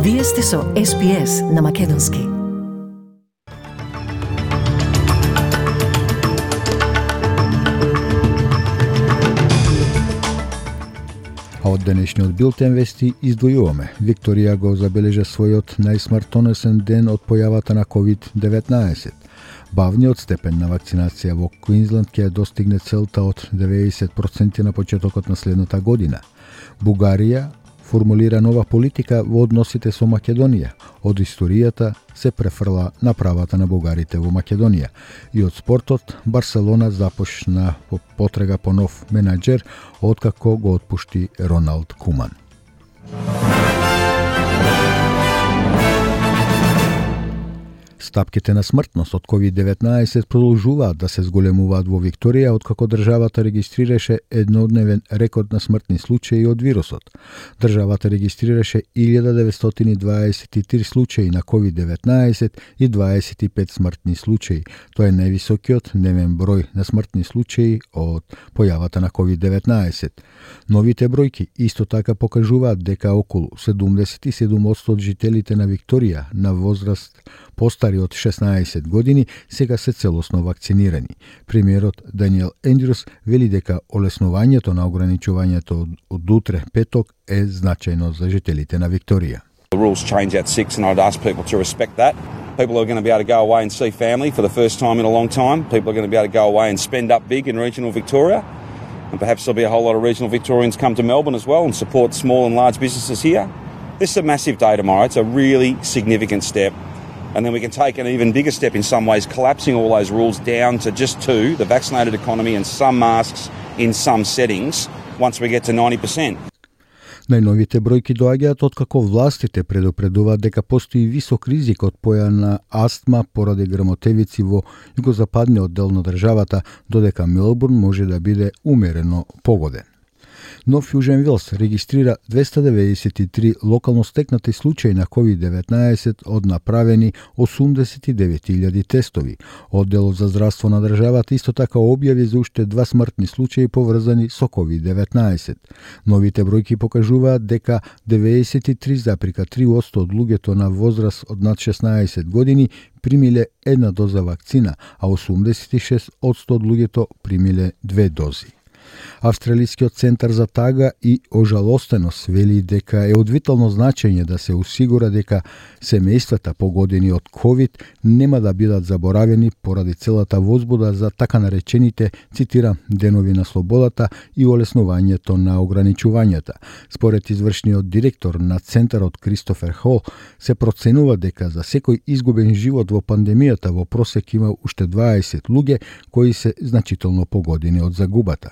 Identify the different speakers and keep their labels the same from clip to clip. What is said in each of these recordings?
Speaker 1: Вие сте со SPS на Македонски.
Speaker 2: А од денешниот билтен вести издвојуваме. Викторија го забележа својот најсмртонесен ден од појавата на COVID-19. Бавниот степен на вакцинација во Квинсленд ќе достигне целта од 90% на почетокот на следната година. Бугарија формулира нова политика во односите со Македонија. Од историјата се префрла на правата на бугарите во Македонија. И од спортот, Барселона започна потрага по нов менаџер откако го отпушти Роналд Куман. Стапките на смртност од COVID-19 продолжуваат да се зголемуваат во Викторија откако државата регистрираше еднодневен рекорд на смртни случаи од вирусот. Државата регистрираше 1923 случаи на COVID-19 и 25 смртни случаи. Тоа е највисокиот дневен број на смртни случаи од појавата на COVID-19. Новите бројки исто така покажуваат дека околу 77% од жителите на Викторија на возраст постари од 16 години сега се целосно вакцинирани. Премиерот Даниел Ендрюс вели дека олеснувањето на ограничувањето од утре петок е значајно за жителите на Викторија.
Speaker 3: The rules change at 6 and I'd ask people to respect that. People are going to be able to go away and see family for the first time in a long time. People are going to be able to go away and spend up big in regional Victoria. And perhaps there'll be a whole lot of regional Victorians come to Melbourne as well and support small and large businesses here. This is a massive day tomorrow. It's a really significant step. And then we can take an even bigger step in some ways, collapsing all those rules down to just two, the vaccinated economy and some masks in some settings, once we get to 90%.
Speaker 2: Најновите бројки доаѓаат откако властите предупредуваат дека постои висок ризик од појава на астма поради грмотевици во југозападниот дел на државата, додека Мелбурн може да биде умерено погоден. Нов Јужен Велс регистрира 293 локално стекнати случаи на COVID-19 од направени 89.000 тестови. Одделот за здравство на државата исто така објави за уште 2 смртни случаи поврзани со COVID-19. Новите бројки покажуваат дека 93,3% од луѓето на возраст од над 16 години примиле една доза вакцина, а 86% од луѓето примиле 2 дози. Австралискиот центар за тага и ожалостеност вели дека е од витално значење да се осигура дека семејствата погодени од COVID нема да бидат заборавени поради целата возбуда за така наречените, цитирам, денови на слободата и олеснувањето на ограничувањата. Според извршниот директор на центарот Кристофер Хол, се проценува дека за секој изгубен живот во пандемијата во просек има уште 20 луѓе кои се значително погодени од загубата.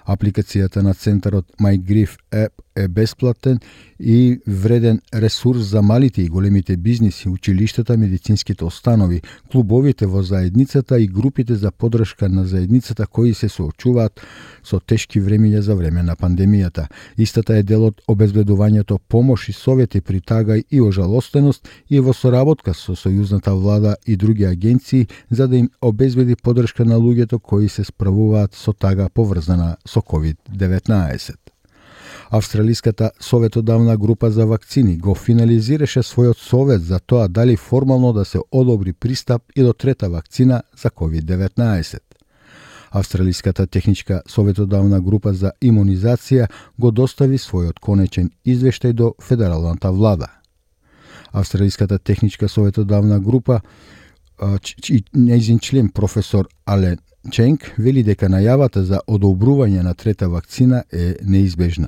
Speaker 2: Апликацијата на центарот MyGrief App е бесплатен и вреден ресурс за малите и големите бизниси, училиштата, медицинските установи, клубовите во заедницата и групите за поддршка на заедницата кои се соочуваат со тешки времиња за време на пандемијата. Истата е дел од обезбедувањето помош и совети при тага и ожалостеност и во соработка со сојузната влада и други агенции за да им обезбеди поддршка на луѓето кои се справуваат со тага поврзана со COVID-19. Австралиската советодавна група за вакцини го финализираше својот совет за тоа дали формално да се одобри пристап и до трета вакцина за COVID-19. Австралиската техничка советодавна група за имунизација го достави својот конечен извештај до федералната влада. Австралиската техничка советодавна група и нејзин член професор Ален Ченк вели дека најавата за одобрување на трета вакцина е неизбежна.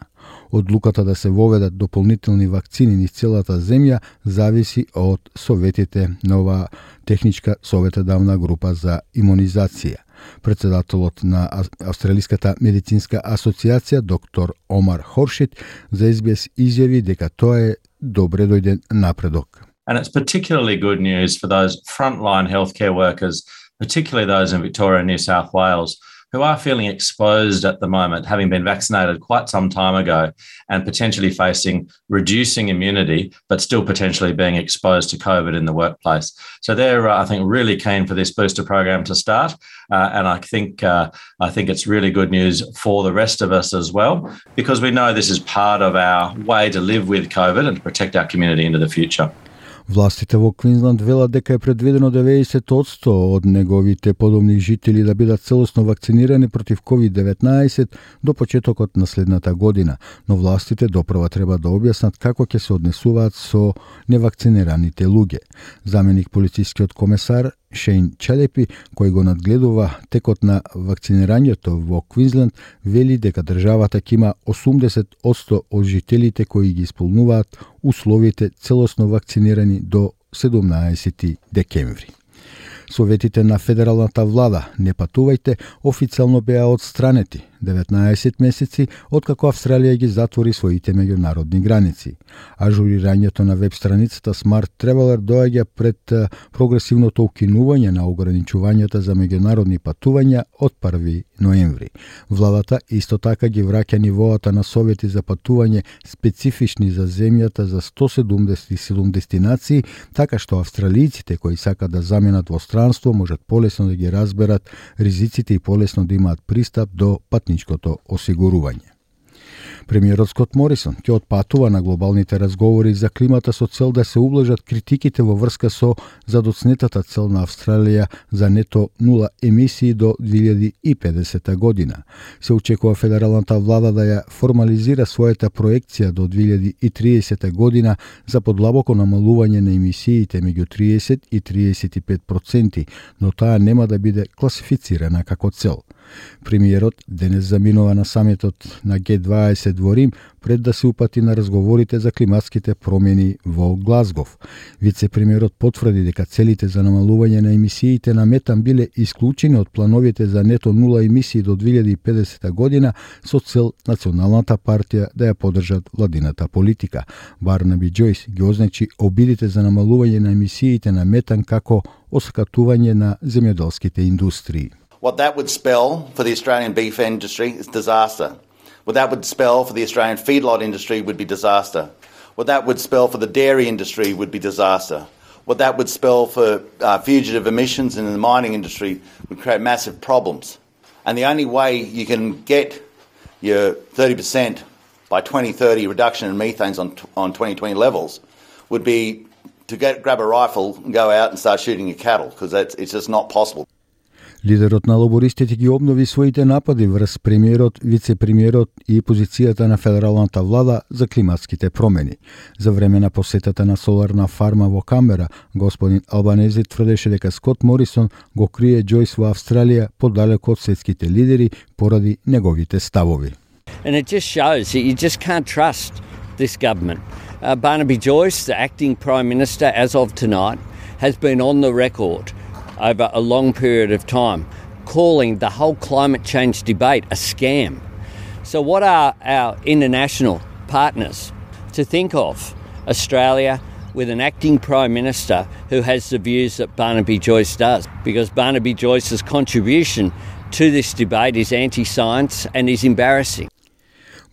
Speaker 2: Одлуката да се воведат дополнителни вакцини низ целата земја зависи од советите на оваа техничка советодавна група за имунизација. Председателот на Австралиската медицинска асоциација доктор Омар Хоршит за SBS изјави дека тоа е добре дојден напредок.
Speaker 4: And it's particularly good news for those frontline healthcare workers, particularly those in Victoria and New South Wales, who are feeling exposed at the moment, having been vaccinated quite some time ago and potentially facing reducing immunity, but still potentially being exposed to COVID in the workplace. So they're, I think, really keen for this booster program to start. And I think it's really good news for the rest of us as well, because we know this is part of our way to live with COVID and to protect our community into the future.
Speaker 2: Властите во Квинсленд велат дека е предвидено 90% од неговите подомни жители да бидат целосно вакцинирани против COVID-19 до почетокот на следната година, но властите допрва треба да објаснат како ќе се однесуваат со невакцинираните луѓе. Заменик полицискиот комесар Шейн Челепи, кој го надгледува текот на вакцинирањето во Квинсленд, вели дека државата ќе има 80% од жителите кои ги исполнуваат условите целосно вакцинирани до 17 декември. Советите на федералната влада "Не патувајте" официјално беа отстранети 19 месеци откако Австралија ги затвори своите меѓународни граници. Ажурирањето на веб страницата Smart Traveler доаѓа пред прогресивното укинување на ограничувањата за меѓународни патувања од 1 ноември. Владата исто така ги враќа нивоата на совети за патување специфични за земјата за 177 дестинации, така што австралијците кои сакат да заменат во странство можат полесно да ги разберат ризиците и полесно да имаат пристап до патничкото осигурување. Премиерот Скот Морисон ќе отпатува на глобалните разговори за климата со цел да се ублажат критиките во врска со задоцнетата цел на Австралија за нето нула емисии до 2050 година. Се очекува федералната влада да ја формализира својата проекција до 2030 година за подлабоко намалување на емисиите меѓу 30 и 35%, но таа нема да биде класифицирана како цел. Премиерот денес заминува на самитот на Г20 во Рим пред да се упати на разговорите за климатските промени во Глазгов. Вице-премиерот потврди дека целите за намалување на емисиите на метан биле исклучени од плановите за нето нула емисии до 2050 година со цел Националната партија да ја поддржат владината политика. Барнаби Џојс ги означи обидите за намалување на емисиите на метан како осакатување на земјоделските индустрии.
Speaker 5: What that would spell for the Australian beef industry is disaster. What that would spell for the Australian feedlot industry would be disaster. What that would spell for the dairy industry would be disaster. What that would spell for fugitive emissions in the mining industry would create massive problems. And the only way you can get your 30% by 2030 reduction in methanes on 2020 levels would be to grab a rifle and go out and start shooting your cattle, because it's just not possible.
Speaker 2: Лидерот на лабористите ги обнови своите напади врз премиерот, вице-премиерот и позицијата на федералната влада за климатските промени. За време на посетата на соларна фарма во Камбера, господин Албанези тврдеше дека Скот Морисон го крие Џојс во Австралија подалеку од светските лидери поради неговите ставови.
Speaker 6: And it just shows that you just can't trust this government. Barnaby Joyce, the acting Prime Minister as of tonight, has been on the record over a long period of time, calling the whole climate change debate a scam. So what are our international partners to think of? Australia with an acting Prime Minister who has the views that Barnaby Joyce does, because Barnaby Joyce's contribution to this debate is anti-science and is embarrassing.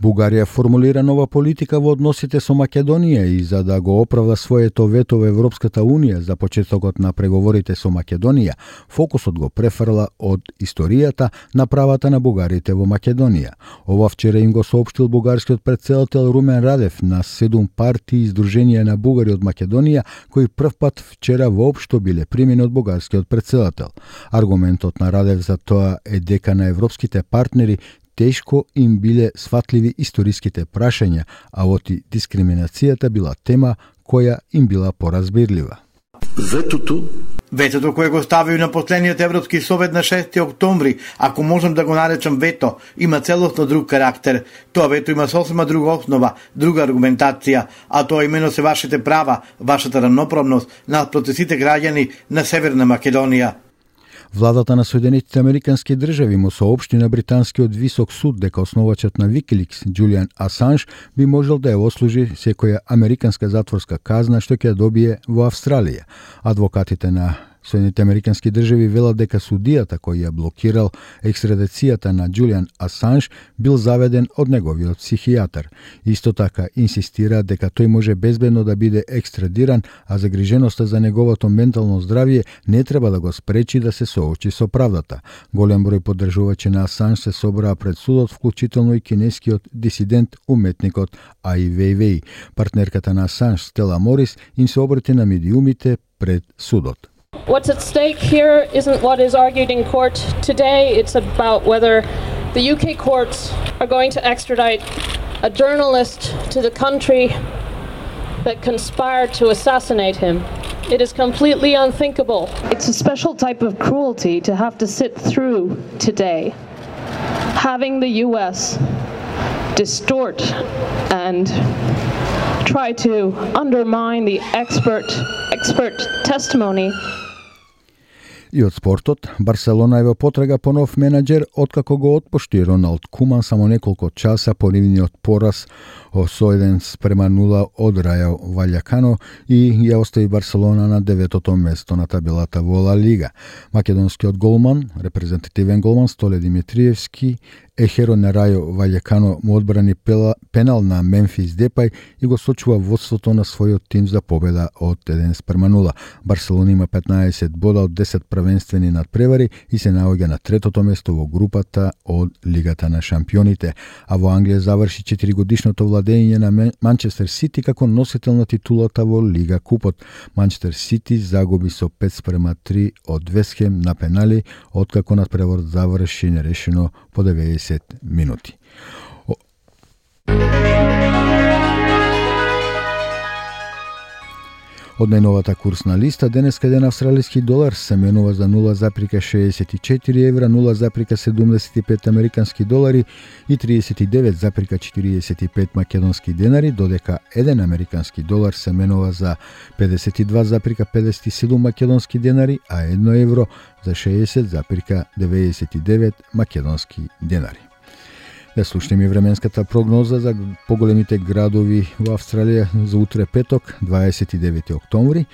Speaker 2: Бугарија формулира нова политика во односите со Македонија и за да го оправда своето вето во Европската Унија за почетокот на преговорите со Македонија, фокусот го префрла од историјата на правата на бугарите во Македонија. Ова вчера им го соопштил бугарскиот претседател Румен Радев на 7 партии издруженија на бугари од Македонија, кои првпат вчера воопшто биле примени од бугарскиот претседател. Аргументот на Радев за тоа е дека на европските партнери тешко им биле сватливи историските прашања, а оти дискриминацијата била тема која им била поразбирлива.
Speaker 7: Ветото кое го ставиу на последниот Европски совет на 6 октомври, ако можам да го наречам вето, има целосно друг карактер. Тоа вето има сосема друга основа, друга аргументација, а тоа имено се вашите права, вашата равноправност наспроти сите граѓани на Северна Македонија.
Speaker 2: Владата на Соединетите Американски држави му соопшти на британскиот висок суд дека основачот на Викиликс, Џулијан Асанж, би можел да ја ослужи секоја американска затворска казна што ќе ја добие во Австралија. Адвокатите на Соединените американски држави велат дека судијата кој ја блокирал екстрадицијата на Џулијан Асанж бил заведен од неговиот психијатар. Исто така инсистира дека тој може безбедно да биде екстрадиран, а загриженоста за неговото ментално здравје не треба да го спречи да се соочи со правдата. Голем број поддржувачи на Асанж се собраа пред судот, вклучително и кинескиот дисидент уметникот Ај Вејвеј. Партнерката на Асанж, Стела Морис, им се обрати на медиумите пред судот.
Speaker 8: What's at stake here isn't what is argued in court today. It's about whether the UK courts are going to extradite a journalist to the country that conspired to assassinate him. It is completely unthinkable. It's a special type of cruelty to have to sit through today, having the US distort and try to undermine the expert testimony.
Speaker 2: И од спортот, Барселона е во потрага по нов менаџер откако го отпушти Роналд Куман само неколку часа по нивниот пораз со 1-0 од Рајо Ваљакано и ја остави Барселона на 9-то место на табелата во Ла Лига. Македонскиот голман, репрезентативен голман Столе Димитриевски, ехеро на Рајо Ваљакано му одбрани пенал на Мемфис Депај и го сочува водството на својот тим за победа од 1-0. Барселона има 15 бода од 10 првенствени надпревари и се наоѓа на 3-то место во групата од Лигата на шампионите, а во Англија заврши 4-годишното владење на Манчестер Сити како носител на титулата во Лига Купот. Манчестер Сити загуби со 5-3 од Вест Хем на пенали, откако надпреварот заврши нерешено по 90 минути. Од најновата курсна листа, денеска еден австралиски долар се менува за 0,64 евра, 0,75 американски долари и 39,45 македонски денари, додека еден американски долар се менува за 52,57 македонски денари, а 1 евро за 60,99 македонски денари. Да слушнеме временската прогноза за поголемите градови во Австралија за утре петок, 29 октомври.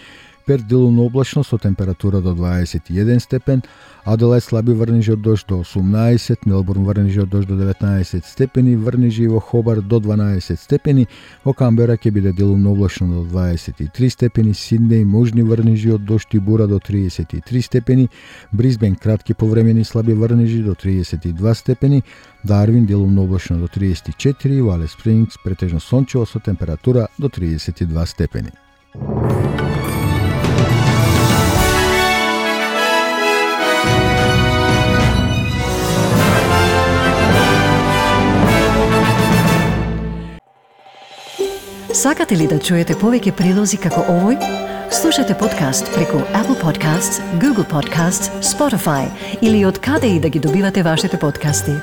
Speaker 2: Перт делумно облачно со температура до 21 степен, Аделајд слаби врнежи од дожд до 18, Мелбурн врнежи од дожд до 19 степени, врнежи во Хобар до 12 степени, во Камбера ќе биде делумно облачно до 23 степени, Сиднеј можни врнежи од дожд и бура до 33 степени, Брисбен кратки повремени слаби врнежи до 32 степени, Дарвин делумно облачно до 34, Вале Спрингс претежно сончево со температура до 32 степени.
Speaker 1: Сакате ли да чуете повеќе прилози како овој? Слушате подкаст преку Apple Podcasts, Google Podcasts, Spotify или од каде и да ги добивате вашите подкасти.